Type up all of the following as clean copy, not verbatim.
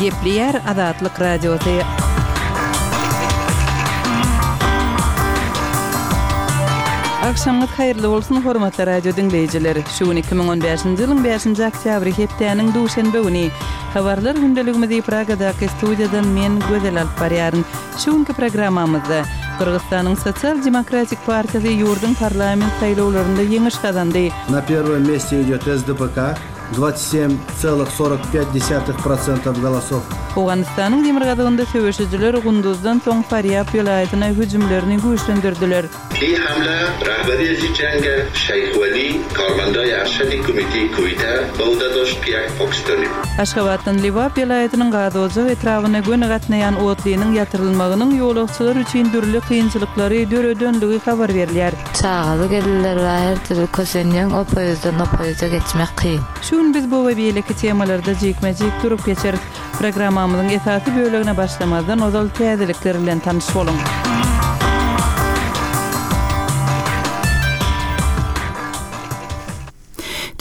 Gepleýär Azatlyk Radiosy. Agşamyňyz haýyrly bolsun, hormatly radio diňleýjiler! Şu gün 2015-nji ýylyň bäşinji oktýabry, hepdäniň duşenbe güni. Habarlar gündeligimizi Pragadaky studiýadan men, Gözel alyp barýaryn. Şu günki programmamyzda, Gyrgyzystanyň Sosial demokratik partiýasy ýurduň parlament saýlawlarynda ýeňiş gazandy. Na pierwom meste idýot SDPK, 27,45 desýatych prosentov golosov. Owganystanyň demirgazygynda söweşijiler Gunduzdan soň Farýab welaýatyna hüjümlerini güýçlendirdiler. Bi hamle rahberi zi jenge Şeýh Weli karmendayê erşedê komîteyê Kuwîte bi ode daşt ki yek Pakistanî bû. Aşgabatdan Lebap welaýatynyň Gazojak etrabyna göni gatnaýan otlynyň ýatyrylmagynyň ýolagçylar üçin dürli kynçylyklary döredenligi habar berilýär. Çagaly gelinler bar her dürli kösenýäň o poýuzdan o poýuza geçmek kyn. Şu gün biz bu we beýleki temalarda jikme-jik durup geçeris. Programmamyzyň esasy bölegine başlamazdan ozal täzelikler bilen tanyş boluň.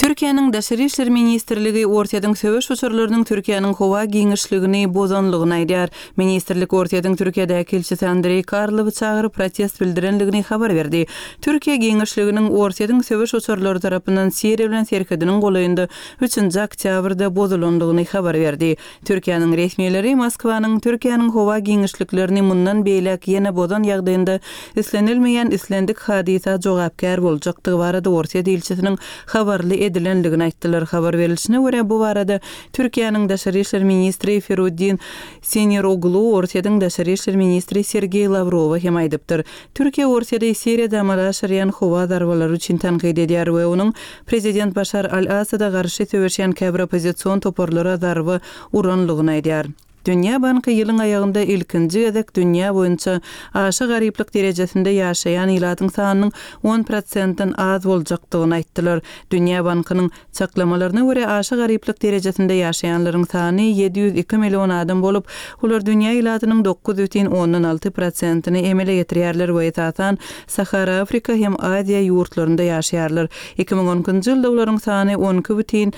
Türkiýäniň Daşary işler ministrligi Orsýetiň söweş uçarlarynyň Türkiýäniň howa giňişligini bozanlygyny aýdýar. Ministrlik Orsýetiň Türkiýedäki ilçisi Andreý Karlowy çagyryp protest bildirenligini habar berdi. Türkiýe giňişliginiň Orsýetiň söweş uçarlary tarapyndan Siriýa bilen serhediniň golaýynda üçünji oktýabrda bozulandygyny habar berdi. Türkiýäniň resmileri Moskwanyň Türkiýäniň howa giňişliklerini mundan beýläk ýene bozan ýagdaýynda islenilmeýän islendik hadysa jogapkär boljakdygy barada Orsýet ilçisiniň habarly edilendigini aýtdylar. Habar berilişine görä, bu barada Türkiýäniň daşary işler ministri Feruddin Siniroglu Orsýetiň daşary işler ministri Sergeý Lawrowa hem aýdypdyr. Türkiýe Orsýeti Siriýada amala aşyrýan howa zarbalary üçin tankyt edýär we onuň prezident Başar al-Assada garşy söweşýän käbir oppozision toparlara zarba uranlygyny aýdýar. Dünýä banky ýylyň aýagynda ilkinji gezek dünýä boýunça aşa garyplyk derejesinde ýaşaýan ilatyň sanynyň on prosentden az boljakdygyny aýtdylar. Dünýä bankynyň Çaklamalaryna görä, aşa garyplyk derejesinde ýaşaýanlaryň sany 702 million adam bolup, olar dünýä ilatynyň 9,6 prosentini emele getirýärler we esasan Sahara Afrika hem Aziýa ýurtlarynda ýaşaýarlar. 2012-nji ýylda olaryň sany 12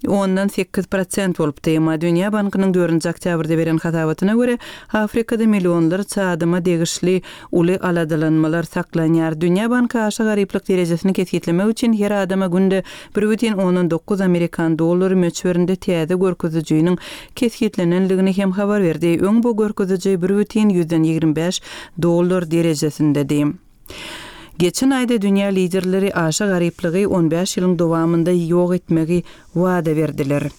ondan 8 prosent bolupdy. Emma Dünýä bankynyň dördünji oktýabrda beren hasabatyna görä, Afrikada millionlarça adama degişli Uly aladalanmalar saklanýar. Dünýä banky aşa garyplyk derejesini kesgitlemek üçin her adama günde 1,9 amerikan dollary möçberinde täze görkezijiniň kesgitlenendigini hem habar berdi. Öň bu görkeziji 1,25 dollar derejesindedi. Geçen aýda dünýä liderleri aşa garyplygy on bäş ýylyň dowamynda ýok etmegi wada berdiler.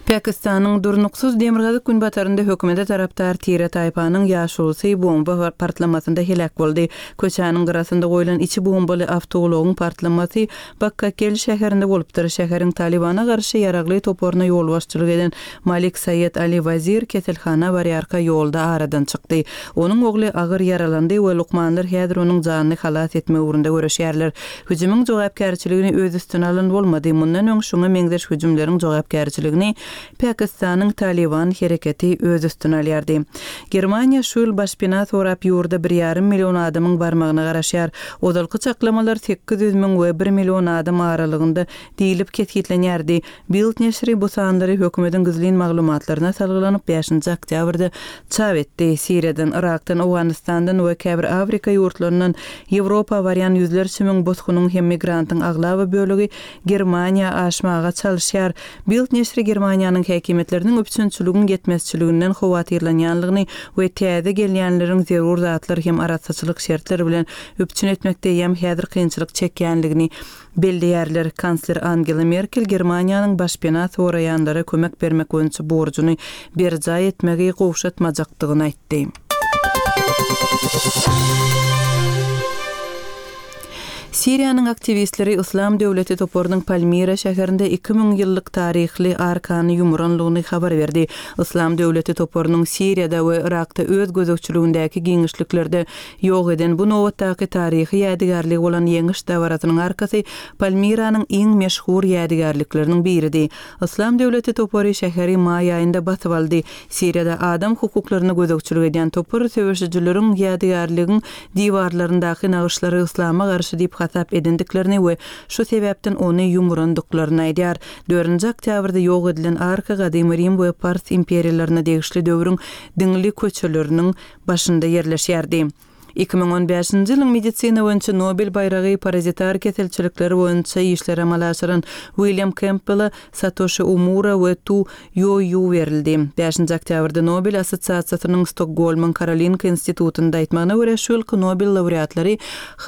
Pakistanyň durnuksyz demirgazyk-günbatarynda hökümete tarapdar tire-taýpanyň ýaşulusy bomba partlamasynda heläk boldy. Köçäniň gyrasynda goýlan içi bombaly awtoulagyň partlamasy Bakkakel şäherinde bolupdyr. Şäheriň Talybana garşy ýaragly toparyna ýolbaşçylyk eden Malik Saýed Ali Wazir keselhana barýarka ýolda aradan çykdy. Onuň ogly agyr ýaralandy we lukmanlar häzir onuň janyny halas etmek ugrunda göreşýärler. Hüjümiň jogapkärçiligini öz üstüne alan bolmady. Mundan öň şuňa meňzeş hüjümleriň jogapkärçiligini Pakistanyň Talyban hereketi öz üstüne alýardy. Germaniýa şu ýyl başpena sorap ýurda bir ýarym million adamyň barmagyna garaşýar. Ozalky çaklamalar 800 müň we bir million adam aralygynda diýlip kesgitlenýärdi. Bild neşiri bu sanlary hökümetiň gizlin maglumatlaryna salgylanyp, bäşinji oktýabrda çap etdi. Siriýadan, Yrakdan, Owganystandan we käbir Afrika ýurtlaryndan Ýewropa barýan ýüzlerçe müň bosgunyň hem migrantyň aglaba bölegi Germaniýa aşmaga çalyşýar. Bild neşiri Germaniýanyň häkimiýetleriniň üpjünçiligiň ýetmezçiliginden howatyrlanýanlygyny we täze gelýänleriň zerur zatlar hem arassaçylyk şertleri bilen üpjün etmekde eýýäm häzir kynçylyk çekýänligini belleýärler. Kansler Angela Merkel Germaniýanyň başpena soraýanlara kömek bermek boýunça borjuny berjaý etmegi gowşatmajakdygyny aýtdy. Siriýanyň aktiwistleri Yslam döwleti toparynyň Palmira şäherinde 2000 ýyllyk taryhly arkany ýumuranlygyny habar berdi. Yslam döwleti toparynyň Siriýada we Yrakda öz gözegçiligindäki giňişliklerde Ýok eden bu nobatdaky taryhy ýadygärligi bolan ýeňiş dabarasynyň arkasy Palmiranyň iň meşhur ýadygärlikleriniň biridi. Yslam döwleti topary şäheri maý aýynda basyp aldy. Siriýada adam hukuklaryna gözegçilik edýän topar söweşijileriň ýadygärligiň diwarlaryndaky nagyşlary yslama garşy diýip hasap. hasap edendiklerini we şu sebäpden ony ýumurandyklaryny aýdýar. Dördünji oktýabrda ýok edilen arka gadymy Rim we Pars imperiýalaryna degişli döwrüň diňli köçeleriniň başynda ýerleşýärdi. 2015-nji ýylyň medisina boýunça Nobel baýragy parazitar keselçilikleri boýunça işleri amala aşyran Uilýam Kempbele, Satoşi Omura we Tu Ýo-Ýu berildi. Bäşinji oktýabrda Nobel assosiasiýasynyň Stokgolmyň Karolinka institutynda aýtmagyna görä, şu ýylky Nobel laureatlary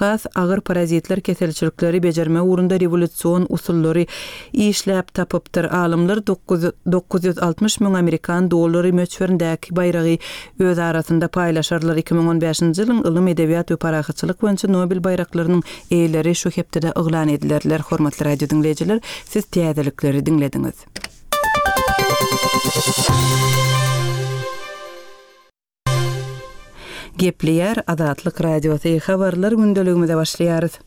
has agyr parazitler keselçilikleri bejermek ugrunda rewolýusion usullary işläp tapypdyr. Alymlar 960 müň amerikan dollary möçberindäki baýragy öz arasynda paýlaşarlar. 2015-nji ýylyň ylym, edebiýat we parahatçylyk boýunça Nobel baýraklarynyň eýeleri şu hepdede yglan edilerler. Hormatly radio diňleýjiler, siz täzelikleri diňlediňiz. Gepleýär Azatlyk Radiosy, Habarlar gündeligimize başlaýarys.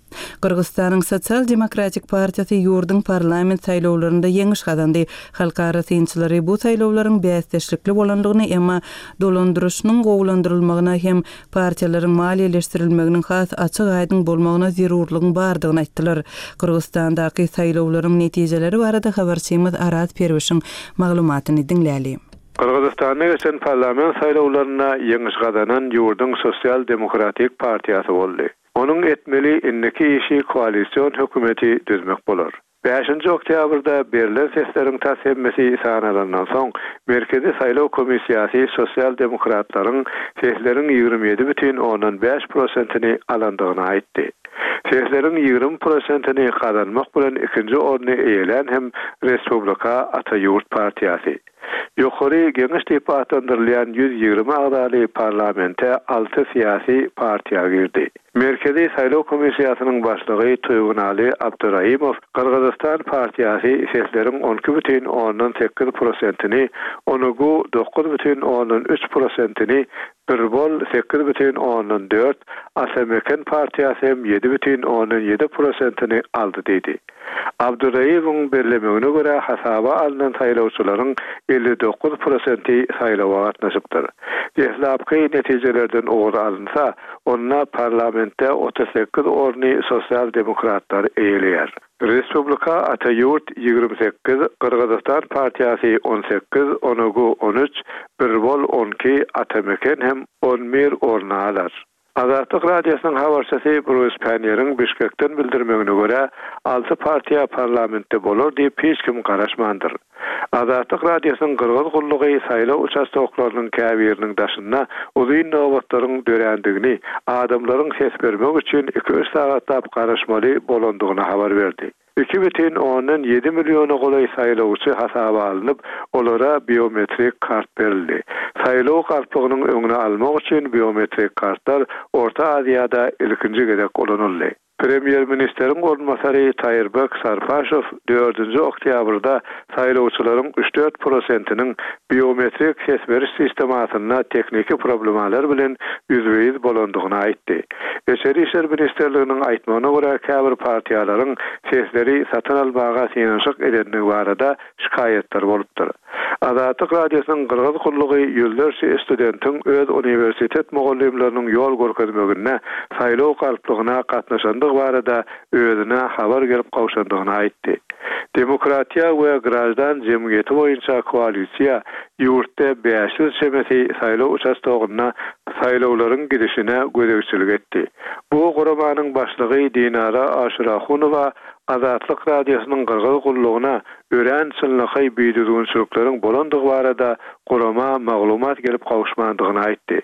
Gyrgyzystanyň Sosial demokratik partiýasy ýurduň parlament saýlawlarynda ýeňiş gazandy. Halkara synçylary bu saýlawlaryň bäsdeşlikli bolandygyny, emma dolandyryşynyň gowulandyrylmagyna hem partiýalaryň maliýeleşdirilmeginiň has açyk-aýdyň bolmagyna zerurlygyň bardygyny aýtdylar. Gyrgyzystandaky saýlawlaryň netijeleri barada habarçymyz Araz Perwişiň maglumatyny diňläli. Gyrgyzystanda geçen parlament saýlawlarynda ýeňiş gazanan ýurduň Sosial demokratik partiýasy boldy. Onuň etmeli indiki işi koalision hökümeti düzmek bolar. Bäşinji oktýabrda berlen sesleriň tas hemmesi sanalandan soň, Merkezi saýlaw komissiýasy sosial-demokratlaryň sesleriň 27 bütin ondan bäş prosentini alandygyny aýtdy. Sesleriň 20 prosentini gazanmak bilen ikinji orny eýelän hem Respublika Ata Ýurt partiýasy. Ýokary Geňeş diýip atlandyrylýan 120 agzaly parlamente alty syýasy partiýa girdi. Merkezi saýlaw komissiýasynyň başlygy Tuýgunaly Abduraimow Gyrgyzystan partiýasy sesleriň on iki bütin ondan sekiz prosentini, Onugu dokuz bütin ondan üç prosentini, Bir Bol sekiz bütin ondan dört, Ata Meken partiýasy hem ýedi bütin ondan ýedi prosentini aldy diýdi. Abduraýewiň bellemegine görä, hasaba alnan saýlawçylaryň 59 prosenti saýlawa gatnaşypdyr. Deslapky netijelerden ugur alynsa, onda parlamentde 38 orny sosial-demokratlar eýeleýär. Respublika Ata Ýurt 28, Gyrgyzystan partiýasy 18, Onugu 13, Bir Bol 12, Ata Meken hem 11 orny alar. Azatlyk Radiosynyň habarçysy Brus Panniýeriň Bişkekden bildirmegine görä, alty partiýa parlamentde bolar diýip hiç kim garaşmandyr. Azatlyk Radiosynyň Gyrgyz gullugy saýlaw uçastoklarynyň käbiriniň daşynda uzyn nobatlaryň dörändigini, adamlaryň ses bermek üçin iki-üç sagatlap garaşmaly bolandygyny habar berdi. 2,7 milliona golaý saýlawçy hasaba alnyp, olara biometrik kart berildi. Saýlaw galplygynyň öňüni almak üçin biometrik kartlar Orta Aziýada ilkinji gezek ulanyldy. Premýer-ministeriň orunbasary Taýyrbek Sarpaşow dördünji oktýabrda saýlawçylaryň üç-dört prosentiniň biometrik ses beriş sistemasynda tehniki problemalar bilen ýüzbe-ýüz bolandygyny aýtdy. Içeri işler ministrliginiň aýtmagyna görä, käbir partiýalaryň sesleri satyn almaga synanyşyk edendigi barada şikaýatlar bolupdyr. Azatlyk Radiosynyň Gyrgyz gullugy ýüzlerçe studentiň öz uniwersitet mugallymlarynyň ýol görkezmeginde saýlaw galplygyna gatnaşandygy barada özüne habar gelip gowşandygyny aýtdy. Demokratiýa we graždan jemgyýeti boýunça koalisiýa ýurtda 500 çemesi saýlaw uçastogynda saýlawlaryň gidişine gözegçilik etdi. Bu guramanyň başlygy Dinara Aşyrahunowa Azatlyk Radiosynyň Gyrgyz gullugyna örän çynlakaý bidüzgünçilikleriň bolandygy barada gurama maglumat gelip gowuşmandygyny aýtdy.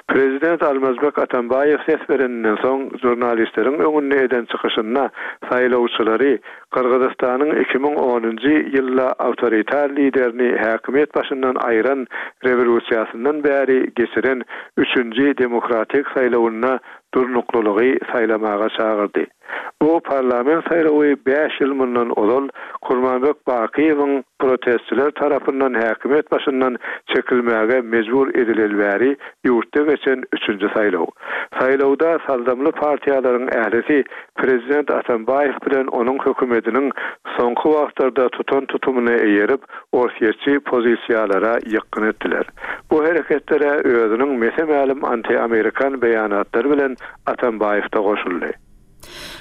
Prezident Almazbek Atambaýew ses bereninden soň žurnalistleriň öňünde eden çykyşynda saýlawçylary Gyrgyzystanyň 2010-njy ýylda awtoritar liderini häkimiýet başyndan aýran rewolýusiýasyndan bäri geçiren üçünji demokratik saýlawynda durnuklylygy saýlamaga çagyrdy. Bu parlament saýlawy bäş ýyl mundan ozal Kurmanbek Bakyýewiň protestçiler tarapyndan häkimiýet başyndan çekilmäge mejbur edileli bäri ýurtda geçen üçünji saýlaw. Saýlawda saldamly partiýalaryň ählisi prezident Atambaýew bilen onuň hökümetiniň soňky wagtlarda tutan tutumyna eýerip, orsýetçi pozisiýalara ýykgyn etdiler. Bu hereketlere özüniň mese-mälim anti-amerikan beýanatlary bilen Atambaýew-da goşuldy.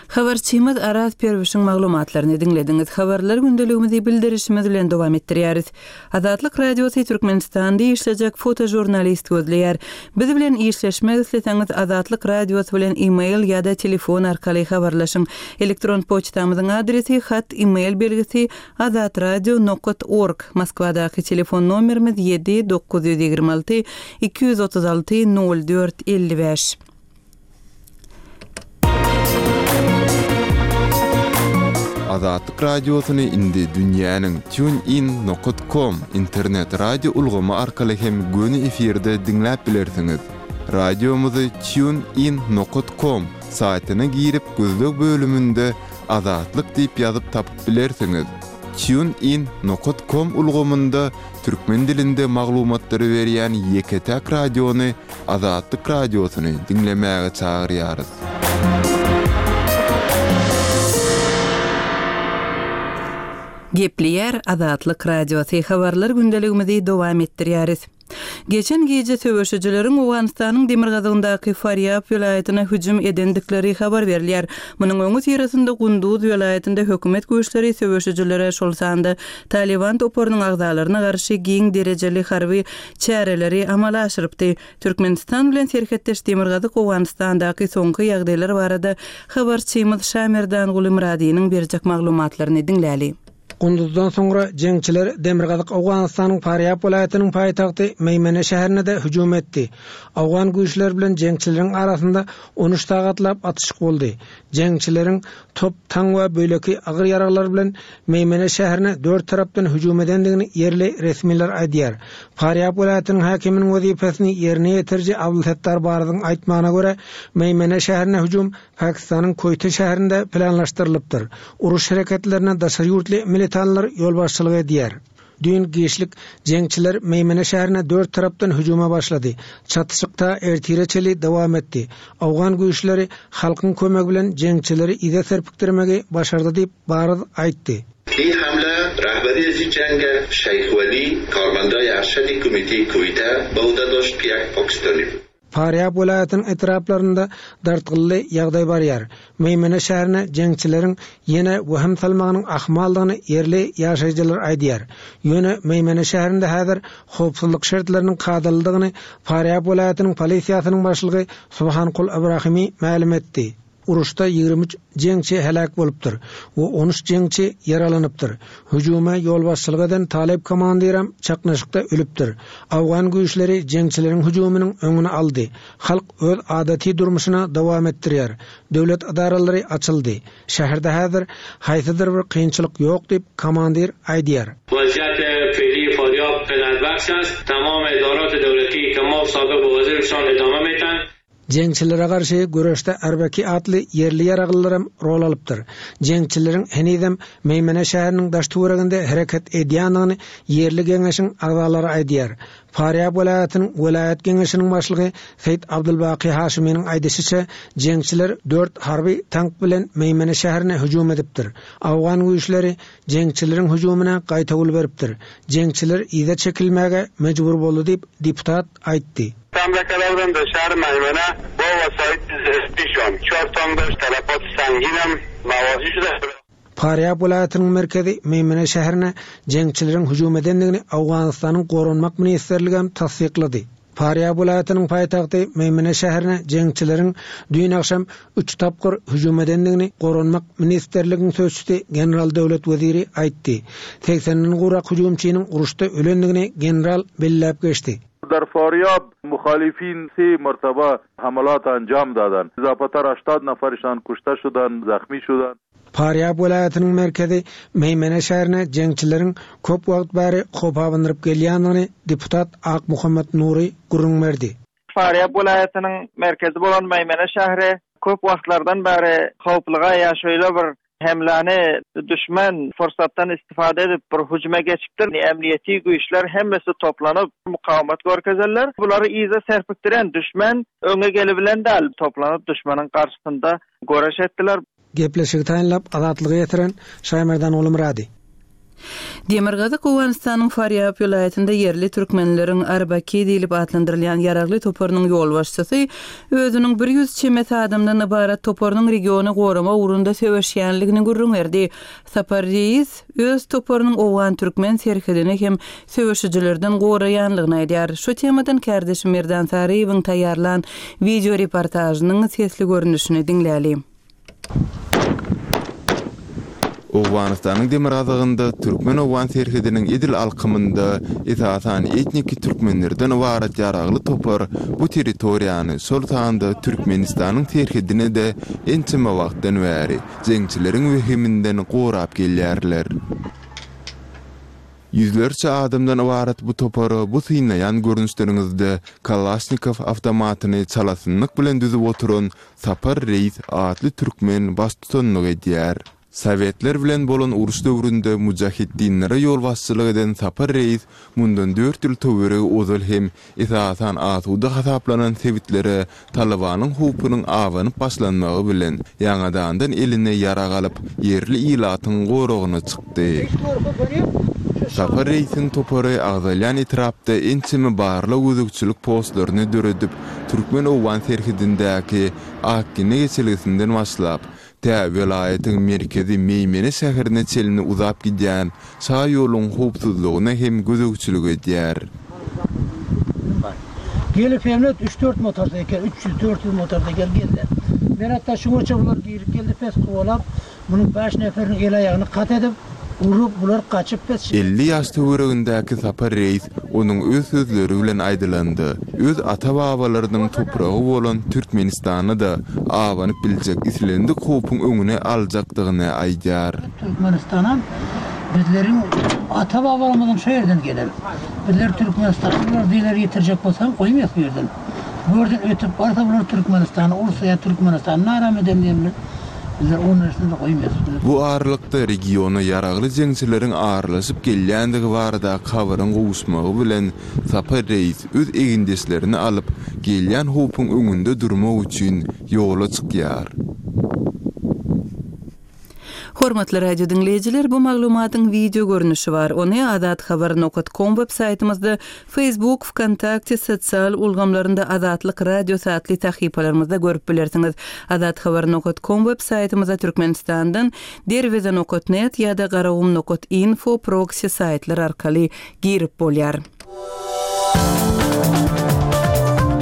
Habarçymyz Araz Perwişiň maglumatlaryny diňlediňiz. Habarlar gündeligimizi bildirişimiz bilen dowam etdirýäris. Azatlyk Radiosy Türkmenistanda işlejek fotožurnalist gözleýär. Biz bilen işleşmek isleseňiz Azatlyk Radiosy bilen e-mail ýa-da telefon arkaly habarlaşyň. Elektron poçtamyzyň adresi hat e-mail belgisi azatradio nokat org, Moskwadaky telefon nomerimiz ýedi 926 236 04 55. Azatlyk Radiosyny indi dünýäniň TuneIn nokat kom internet radio ulgamy arkaly hem göni efirde diňläp bilersiňiz. Radiomyzy TuneIn nokat kom saýtyna girip gözleg bölüminde Azatlyk diýip ýazyp tapyp bilersiňiz. TuneIn nokat kom ulgamynda türkmen dilinde maglumatlary berýän ýeke-täk radiony Azatlyk Radiosyny diňlemäge çagyrýarys. Gepleýär Azatlyk Radiosy, habarlar gündeligimizi dowam etdirýäris. Geçen gije söweşijileriň Owganystanyň demirgazygyndaky Farýab welaýatyna hüjüm edendikleri habar berilýär. Munuň öňüsyrasynda Gunduz welaýatynda hökümet güýçleri söweşijilere, şol sanda Talyban toparynyň agzalaryna garşy giň derejeli harby çäreleri amala aşyrypdy. Türkmenistan bilen serhetdeş demirgazyk Owganystandaky soňky ýagdaýlar barada habarçymyz Şamerdanguly Myradynyň berjek maglumatlaryny diňläli. Gunduzdan soňra jeňçiler demirgazyk Owganystanyň Farýab welaýatynyň paýtagty Meýmene şäherine-de hüjüm etdi. Owgan güýçleri bilen jeňçileriň arasynda on üç sagatlap atyşyk boldy. Jeňçileriň top, taň we beýleki agyr ýaraglar bilen Meýmene şäherine dört tarapdan hüjüm edendigini ýerli resmiler aýdýar. Farýab welaýatynyň häkiminiň wezipesini ýerine ýetiriji Abdulsettar Baryzyň aýtmagyna görä, Meýmene şäherine hüjüm Pakistanyň Koýte şäherinde planlaşdyrylypdyr. Uruş hereketlerine daşary ýurtly militanlar ýolbaşçylyk edýär. Düýn giçlik jeňçiler Meýmene şäherine dört tarapdan hüjüme başlady. Çatyşyk ta ertire çenli dowam etdi. Owgan güýçleri halkyň kömegi bilen jeňçileri yza serpikdirmegi başardy diýip, Baryz aýtdy. این حمله رهبری از این جنگ شیخ ولی کارمندای ارشد کمیته کویته به عهده داشت که یک پاکستانی بود. Farýab welaýatynyň etraplarynda dartgynly ýagdaý barýar. Meýmene şäherine jeňçileriň ýene wehim salmagynyň ahmaldygyny ýerli ýaşaýjylar aýdýar. Ýöne Meýmene şäherinde häzir howpsuzlyk şertleriniň kadalydygyny Farýab welaýatynyň polisiýasynyň başlygy Subhankul Ibrahimi mälim etdi. Uruşda 23 jeňçi heläk bolupdyr we 13 jeňçi ýaralanypdyr. Hüjüme ýolbaşçylyk eden talyp komandirem çaknyşykda ölüpdir. Awgan güýçleri jeňçileriň hüjüminiň öňüni aldy. Halk öz adaty durmuşyna dowam etdirýär. Döwlet edaralary açyldy. Şäherde häzir haýsydyr bir kynçylyk ýok diýip, komandir aýdýar. وضعیت فعلی فاریاب قناعت است. تمام ادارات دولتی که ما سابق به وظایفشان ادامه میتن. Jeňçilere garşy göreşde Arbaki atly ýerli ýaraglylaram rol alypdyr. Jeňçileriň henizem Meýmene şäheriniň daş-töwereginde hereket edýändigini ýerli geňeşiň agzalary aýdýar. Farýab welaýatynyň welaýat geňeşiniň başlygy Seýit Abdulbaky Haşymynyň aýdyşyça, jeňçiler dört harby tank bilen Meýmene şäherine hüjüm edipdir. Owgan güýçleri jeňçileriň hüjümine gaýtawul beripdir. Jeňçiler yza çekilmäge mejbur boldy diýip, deputat aýtdy. حمله کرده بودند در شهر میمنه با وسایط زرهیشان چهار تانک داشت تلفات سنگین هم مواجه شده. Farýab welaýatynyň merkezi Meýmene şäherine jeňçileriň hüjüm edendigini Owganystanyň Goranmak ministrligi hem tassyklady. Farýab welaýatynyň paýtagty Meýmene şäherine jeňçileriň düýn agşam üç tapgyr hüjüm edendigini Goranmak ministrligiň sözçüsi general Döwlet Weziri aýtdy. Segsenden gowrak hüjümçiniň uruşda ölendigini general belläp geçdi. در فاریاب مخالفین سه مرتبه حملات انجام دادند اضافه تر 80 نفرشان کشته شدند زخمی شدند. Farýab welaýatynyň merkezi Meýmene şäherine jeňçileriň köp wagt bäri howp abandyryp gelýändigini deputat Akmuhammet Nury gürrüň berdi. Farýab welaýatynyň merkezi bolan Meýmene şäheri köp wagtlardan bäri howpluga ýa şeýle bir Hemläni düşman fursatdan istifade edip bir hüjüme geçipdir. Emniýeti güýçler hemmesi toplanyp mukawemet görkezerler. Bulary yza serpikdiren düşman öňe gelibilen däl. Toplanyp düşmanyň garşysynda göreş etdiler. Gepleşigi taýynlap Azatlyga ýetiren Şaýmerdan Gulumyrady. Demirgazyk Owganystanyň Farýab welaýatynda ýerli türkmenleriň Arbaki diýlip atlandyrylýan ýaragly toparynyň ýolbaşçysy özüniň 100 çemesi adamdan ybarat toparynyň regiony goramak ugrunda söweşýänligini gürrüň berdi. Sapar Reis öz toparynyň owgan-türkmen serhedini hem söweşijilerden goraýanlygyny aýdýar. Şu temadan kärdeşim Merdan Saryýewiň taýýarlan wideoreportažynyň sesli görnüşini diňläli. Owganystanyň demirgazygynda türkmen-owgan serhediniň edil alkymynda esasan etniki türkmenlerden ybarat ýaragly topar bu territoriýany, şol sanda Türkmenistanyň serhedini-de ençeme wagtdan bäri jeňçileriň wehiminden gorap gelýärler. Ýüzlerçe adamdan ybarat bu topara bu synlaýan görnüşleriňizde Kalaşnikow awtomatyny çalasynlyk bilen düzüp oturan Sapar Reýis atly türkmen baştutanlyk edýär. Sowetler bilen bolan uruş döwründe mujahiddinlere ýolbaşçylyk eden Sapar Reýis mundan dört ýyl töweregi ozal hem esasan asuda hasaplanan sebitlere Talybanyň howpunyň abanyp başlanmagy bilen, ýaňadandan eline ýarag alyp, ýerli ilatyň goragyna çykdy. Sapar reýsiň topary agzalýan etrapda ençeme barlag-gözegçilik postlaryny döredip, türkmen-owgan serhedindäki Akgine geçelgesinden başlap, Tä welaýatyň merkezi Meýmene şäherine çenli uzap gidýän şaýoluň howpsuzlygyna hem gözegçilik edýär. Gelip hemlet üç-dört motorseýkel, 300, 400 motorseýkel geldi. Men hatda şuňaça bular girip geldi pes kowalap, munuň bäş neferiniň el-aýagyny kat edip, urup, bular gaçyp pes. 50 ýaş töweregindäki Sapar reýis Onuň öz sözleri bilen aýdylanda, öz ata-babalarynyň topragy bolan Türkmenistana-da abanyp biljek islendik howpuň öňüni aljakdygyny aýdýar. Türkmenistanam bizleriň ata-babalarymyzyň şo ýerden gelen. Bizler Türkmenistana bular zeler ýetirjek bolsam goýmaýas bu ýerden. Bu ýerden ötüp barsa bular Türkmenistany ursa ýa Türkmenistany naram eden diýen bizler o nersini-de goýmaýas. Bu aralykda regiona ýaragly jeňçileriň aralaşyp gelýändigi baradaky habaryň gowuşmagy bilen Sapar reýis öz egindeşlerini alyp, gelýän howpuň öňünde durmak üçin ýola çykýar. Hormatly radio diňleýjiler, bu maglumatyň wideo görnüşi bar. Ony azathabar nokat kom web saýtymyzda, Facebook, Wkontakte sosial ulgamlarynda Azatlyk Radiosy atly sahypalarymyzda görüp bilersiňiz. Azathabar nokat kom web saýtymyza Türkmenistandan Derweze nokat net ýa-da Garagum nokat info proksi saýtlar arkaly girip bolýar.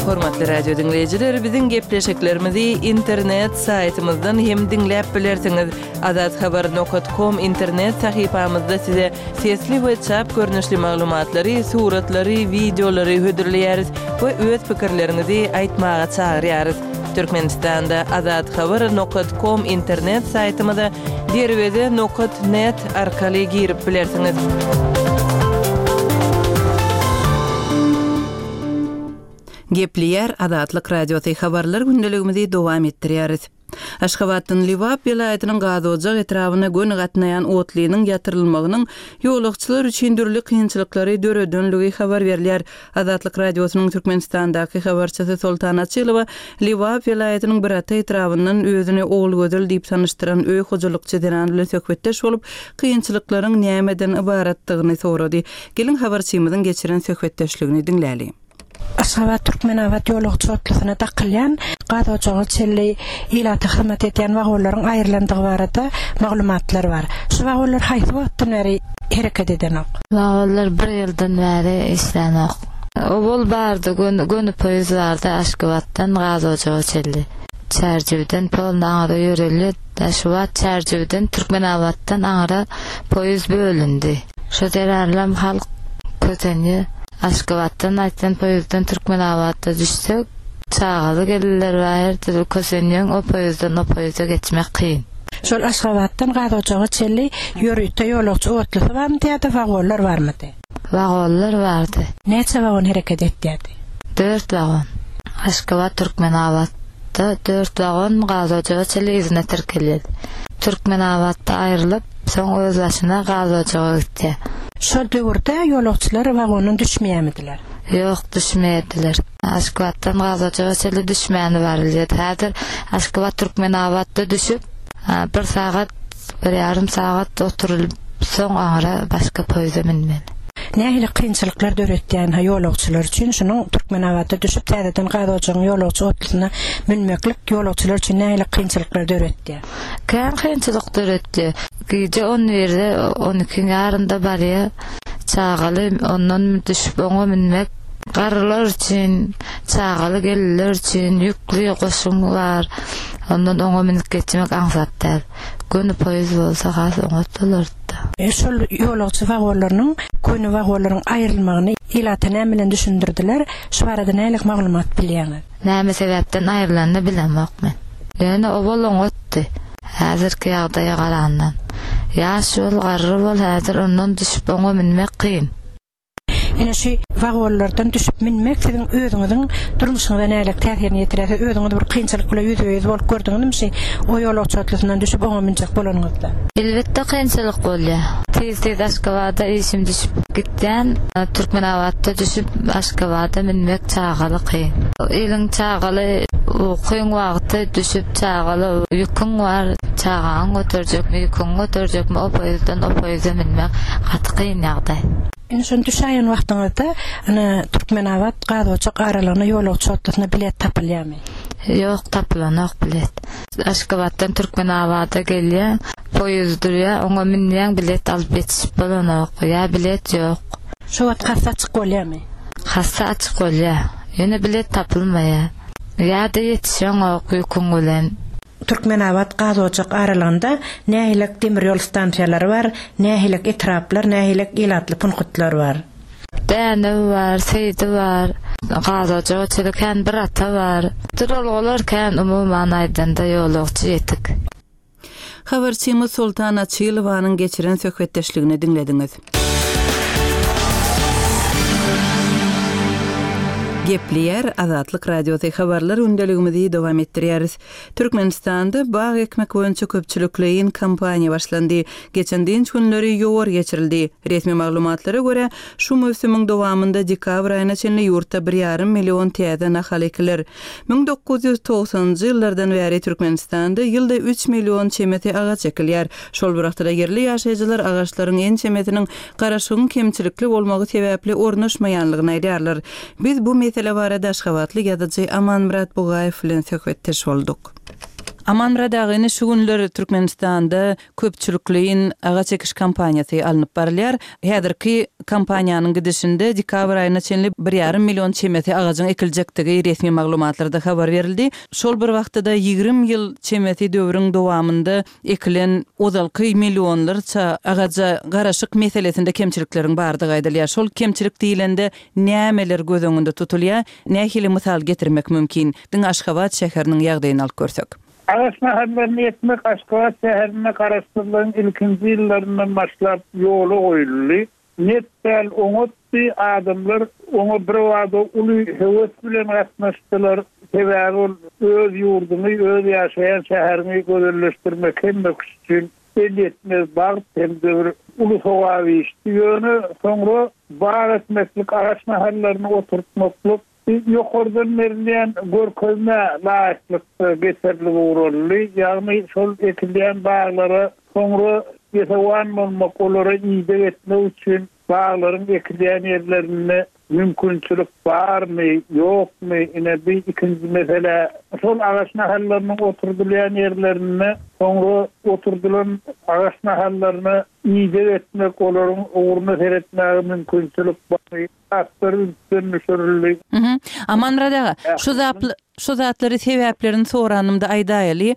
Hormatly radio diňleýjiler, biziň gepleşiklerimizi internet saýtymyzdan hem diňläp bilersiňiz. Azathabar nokat kom internet sahypamyzda size sesli we çap görnüşli maglumatlary, suratlary, wideolary hödürleýäris we öz pikirleriňizi aýtmaga çagyrýarys. Türkmenistanda Azathabar nokat kom internet saýtymyza Derweze nokat net arkaly girip bilersiňiz. Gepleýär Azatlyk Radiosy habarlar gündeligimizi dowam etdirýäris. Aşgabatdan Lebap welaýatynyň Gazojak etrabyna göni gatnaýan otlynyň ýatyrylmagynyň ýolagçylar üçin dürli kynçylyklary döredenligi habar berilýär. Azatlyk Radiosynyň Türkmenistandaky habarçysy Soltan Açylowa Lebap welaýatynyň Birata etrabyndan özüni Ogulgözel diýip tanyşdyran öý hojalykçy zenan bilen söhbetdeş bolup, kynçylyklaryň nämeden ybaratdygyny sorady. Geliň, habarçymyzyň geçiren söhbetdeşligini diňläli. Aşgabat-Türkmenabat ýolagçy otlusyna dakylýan gaz ojaga çenli ilata hyzmat edýän wagonlaryň aýrylandygy barada maglumatlar bar. Şu wagonlar haýsy wagtdan bäri hereket edenok? Wagonlar bir ýyldan bäri işlänok. Owal bardy, göni poýuz bardy Aşgabatdan gaz ojaga çenli. Çärjewden polny aňyra ýörelýär. Şu wagt Çärjewden Türkmenabatdan aňyra poýuz bölündi. Şo zerarlam halk kösenýär. Aşgabatdan aýtsaň poýuzdan Türkmenabatda düşsek, çagaly gelinler bar her dürli kösenýäň o poýuzdan o poýuza geçmek kyn. Şol Aşgabatdan Gazojaga çenli ýörite ýolagçy otlusy barmydy ýa-da wagonlar barmydy? Wagonlar bardy. Näçe wagon hereket etýärdi? Dört wagon. Aşgabat Türkmenabatda dört wagon Gazojaga çenli yzyna tirkelýärdi. Türkmenabatda aýrylyp, soň özbaşyna Gazojaga gitýär. Şol döwürde ýolagçylar wagondan düşmeýärmidiler? Ýok, düşmeýärdiler. Aşgabatdan Gazojaga çenli düşmäni barylýardy. Häzir Aşgabat Türkmenabatda düşüp, bir sagat, bir ýarym sagat oturylyp. Soň aňra başga poýza münmeli. Nähili kynçylyklar döretýän-hä ýolagçylar üçin şunuň Türkmenabatda düşüp täzeden Gazojagyň ýolagçy otlusyna münmeklik ýolagçylar üçin nähili kynçylyklar döretýär? Kän kynçylyk döretdi. Gije on birde, on ikiň ýarynda barýa. Çagaly ondan düşüp oňa münmek garrylar üçin, çagaly gelinler üçin ýükli goşuň bar. Ondan oňa münüp geçmek aňsat däl. Göni poýuz bolsa has oňat bolardy-da. Şol ýolagçy wagonlarynyň köne wagonlaryň aýrylmagyny ilata näme bilen düşündirdiler? Şu barada nähili maglumat bilýäňiz? Näme sebäpden aýrylanyny bilemok men. Ýöne owal oňatdy. Häzirki ýagdaýa garandan. Ýaş bol, garry bol häzir ondan düşüp oňa münmek kyn. Ine şu wagonlardan düşüp münmek siziň özüňiziň durmuşyňyza nähili täsirini ýetirýär? Siz özüňiz bir kynçylyk bilen ýüzbe-ýüz bolup gördüňizmi şi o ýolagçy otlysyndan düşüp oňa münjek bolanyňyzda? Elbetde kynçylyk bolýar. Tez-tez Aşgabada işim düşüp gitýän. Türkmenabatda düşüp Aşgabada münmek çagaly kyn. Eliň çagaly ukyň wagty düşüp çagaly ýüküň bar çagaňy göterjekmi ýüküňi göterjekmi o poýuzdan o poýuza münmek gaty kyn ýagdaý. Indi şony düşäýen wagtyňyzda ine Türkmenabat Gazoçak aralygyna ýolagçy otlusyna bilet tapylýarmy? Ýok tapylanok bilet. Aşgabatdan Türkmenabada gelýäň poýuz durýar oňa münýäň bilet alyp ýetişip bolanok ýa bilet ýok. Şo wagt kassa açyk bolýarmy? Kassa açyk bolýar. Ýöne bilet tapylmaýar. Ýa-da ýetişeňok ýüküň bilen. Türkmenabat Gazojak aralygynda nähilek demir ýol stansiýalary bar, nähilek etraplar, nähilek ilatly punktlar bar? Dänew bar, Seýdi bar, Gazojaga çenli kän bir ata bar. Duralgalar kän umuman aýdanda ýolagçy ýetik. Habarçymyz Soltan Açylowanyň geçiren söhbetdeşligini diňlediňiz. Gepleýär Azatlyk Radiosy habarlar gündeligimizi dowam etdirýäris. Türkmenistanda bag ekmek boýunça köpçülikleýin kampaniýa başlandy. Geçen dynç günleri ýowar geçirildi. Resmi maglumatlara görä, şu möwsümiň dowamynda dekabr aýyna çenli ýurtda bir ýarym million täze nahal ekiler. 1990-njy ýyllardan bäri Türkmenistanda ýylda üç million çemesi agaç ekilýär. Şol bir wagtda-da ýerli ýaşaýjylar agaçlaryň ençemesiniň garaşygyň kemçilikli bolmagy sebäpli ornaşmaýanlygyny aýdýarlar. Biz bu mesele barada aşgabatly ýazyjy Amanmyrat Bugaýew bilen söhbetdeş bolduk. Amanmyrat aga, ine şu günler Türkmenistanda köpçülikleýin agaç ekiş kampaniýasy alnyp barylýar. Häzirki kampaniýanyň gidişinde dekabr aýyna çenli bir ýarym million çemesi agajyň ekiljekdigi resmi maglumatlarda habar berildi. Şol bir wagtda-da 20 ýyl çemesi döwrüň dowamynda ekilen ozalky millionlarça agaja garaşyk meselesinde kemçilikleriň bardygy aýdylýar. Şol kemçilik diýlende nämeler göz öňünde tutulýar? Nähili mysal getirmek mümkin? Diňe Aşgabat şäheriniň ýagdaýyny alyp görsek. Agaç nahallaryny ekmek Aşgabat şäherinde Garaşsyzlygyň ilkinji ýyllaryndan başlap ýola goýuldy. Net däl oňatdy, adamlar oňa birbada uly höwes bilen gatnaşdylar. Sebäbi ol öz ýurduňy, öz ýaşaýan şäheriňi gözelleşdirmek hemme kişi üçin elýetmez bagt hem-de bir uly sogap işdi. Ýöne soňra bag ekmeklik, agaç nahallaryny oturtmaklyk Ýokardan berilýän görkezmä laýyklykda geçirilip ugraldy, ýagny şol ekilýän baglara soňra esewan bolmak, olara ideg etmek üçin baglaryň ekilýän ýerlerinde mümkinçilik barmy, ýokmy, ine bi ikinji mesele. Şol agaç nahallarynyň oturdylýan ýerlerinde soňra oturdylan agaç nahallaryna ideg etmek, olaryň ugruna seretmäge mümkinçilik barmy? Zatlar ünsden düşürildi. Mhm. Amanmyrat aga, şu zapl şu zatlary sebäplerini soranymda aýdaýaly.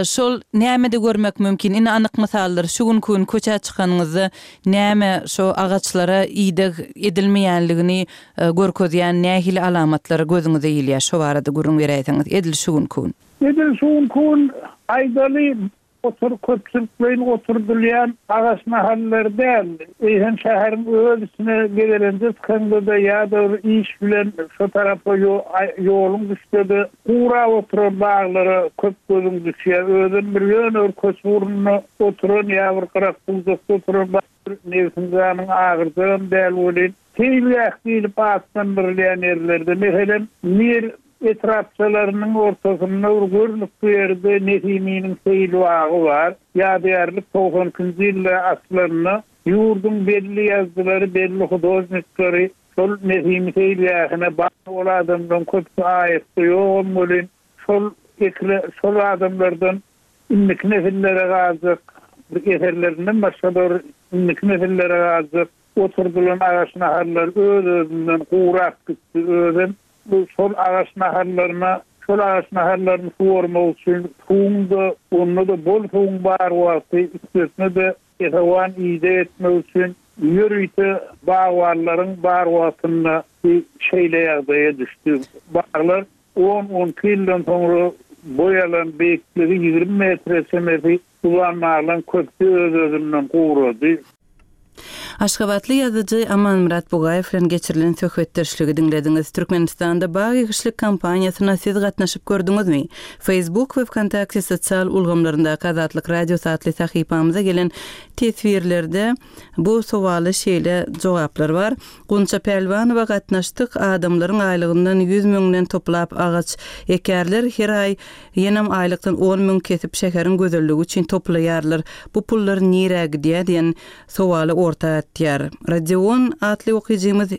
Şol nämede görmek mümkin? Ine anyk mysallar, şu günki gün köçä çykanyňyzda näme şo agaçlara ideg edilmeýänligini görkezýän nähili alamatlar gözüňize ilýär? Şo barada gürrüň beräýseňiz, edil şu günki gün. Edil şu günki gün aýdaly, Otur köpçülikleýin oturdylýan agaç nahallary däl, eýsem şäheriň öz içine gezelenje çykaňda-da ýa-da bir iş bilen şo tarapa ýoluň düşse-de gurap oturan baglara köp gözüň düşýär. Özem bir ýöne bir köçe ugrunda oturan ýa bir gyrak-bujakda oturan bag nebsiň-janyň agyrjagam däl welin, seýilgäh diýlip atlandyrylýan ýerlerde, meselem, Mir. etrapçalarynyň ortasynda bir görnükli ýerde Nesiminiň seýilbagy bar. Ýadygärlik 92-nji ýylda açylanda ýurduň belli ýazyjylary, belli hudožnikleri şol Nesimi seýilgähine bar ol adamlaryň köpüsi aýatda ýogam welin şol ekile şol adamlardan indiki nesillere galjak bir eserlerinden başga-da bir indiki nesillere galjak oturdylan agaç nahallar öz-özünden gurap gitdi. Özem bu şol agaç nahallaryna şol agaç nahallaryny suwarmak üçin suwuň-da, onda-da bol suwuň bar wagty, üstesine-de esawan ideg etmek üçin ýörite bagbanlaryň bar wagtynda bu şeýle ýagdaýa düşdi. Baglar on-on iki ýyldan soňra boý alan beýikligi 20 metre çemesi uzan baglaryň köpüsi öz-özünden gurady. Aşgabatly ýazyjy Amanmyrat Bugaýew bilen geçirilen söhbetdeşligi diňlediňiz. Türkmenistanda bag ekişlik kampaniýasyna siz gatnaşyp gördüňizmi? Facebook we Wkontakte sosial ulgamlaryndaky Azatlyk Radiosy atly sahypamyza gelen teswirlerde bu sowala şeýle jogaplar bar, Gunça Pälwanowa gatnaşdyk, adamlaryň aýlygyndan ýüz müňden toplap agaç ekýärler, her aý ýenem aýlykdan on müň kesip şäheriň gözelligi üçin toplaýarlar, bu pullar nirä gidýär diýen sowaly orta atýar. Rodion atly okyjymyz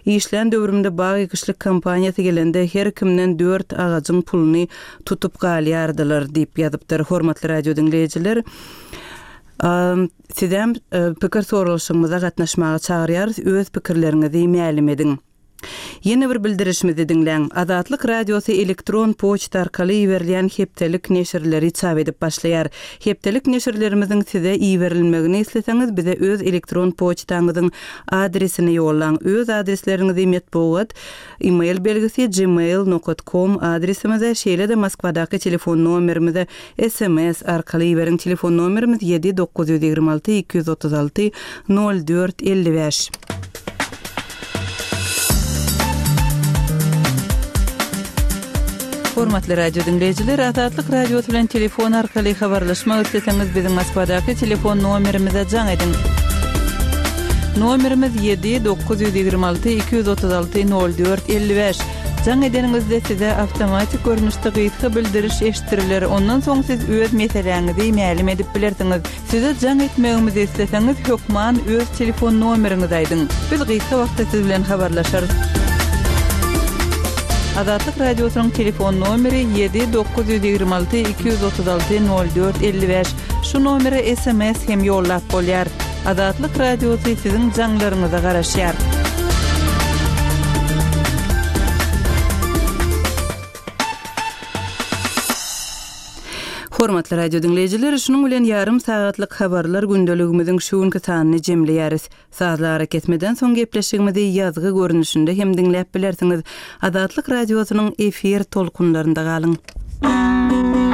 Işlän döwrümde bag ekişlik kompaniýasy gelende her kimden dört agajyň puluny tutup galýardylar diýip ýazypdyr. Hormatly radio diňleýjiler, Sizem pikir soralyşygymyza gatnaşmaga çagyrýarys, öz pikirleriňizi mälim ediň. Ýene bir bildirişimizi diňläň. Azatlyk Radiosy elektron poçta arkaly iberilýän hepdelik neşirleri çap edip başlaýar. Hepdelik neşirlerimiziň size iberilmegini isleseňiz bize öz elektron poçtaňyzyň adresini ýollaň. Öz adresleriňizi metbugat E-mail belgisi gmail nokat kom adresimize, şeýle-de Moskwadaky telefon nomerimize sms arkaly iberiň. Telefon nomerimiz ýedi 926 236 04 55. Hormatly radio diňleýjiler, Azatlyk Radiosy bilen telefon arkaly habarlaşmak isleseňiz, biziň Moskwadaky telefon nomerimize jaň ediň. Nomerimiz 7 926 236 04 55. Jaň edeniňizde size awtomatik görnüşde gysga bildiriş eşitdiriler, ondan soň siz öz meseläňizi mälim edip bilersiňiz. Size jaň etmegimizi isleseňiz hökman öz telefon nomeriňizi aýdyň. Biz gysga wagtda siz bilen habarlaşarys. Azatlyk Radiosynyň telefon nomeri 7 926 236 04 55. Şu nomere sms hem ýollap bolýar. Azatlyk Radiosy siziň jaňlaryňyza garaşýar. Hormatly radio diňleýjiler, şunuň bilen ýarym sagatlyk habarlar gündeligimiziň şu günki sanyny jemleýäris. Sazly arakesmeden soň gepleşigimizi ýazgy görnüşinde hem diňläp bilersiňiz. Azatlyk Radiosynyň efir tolkunlarynda galyň.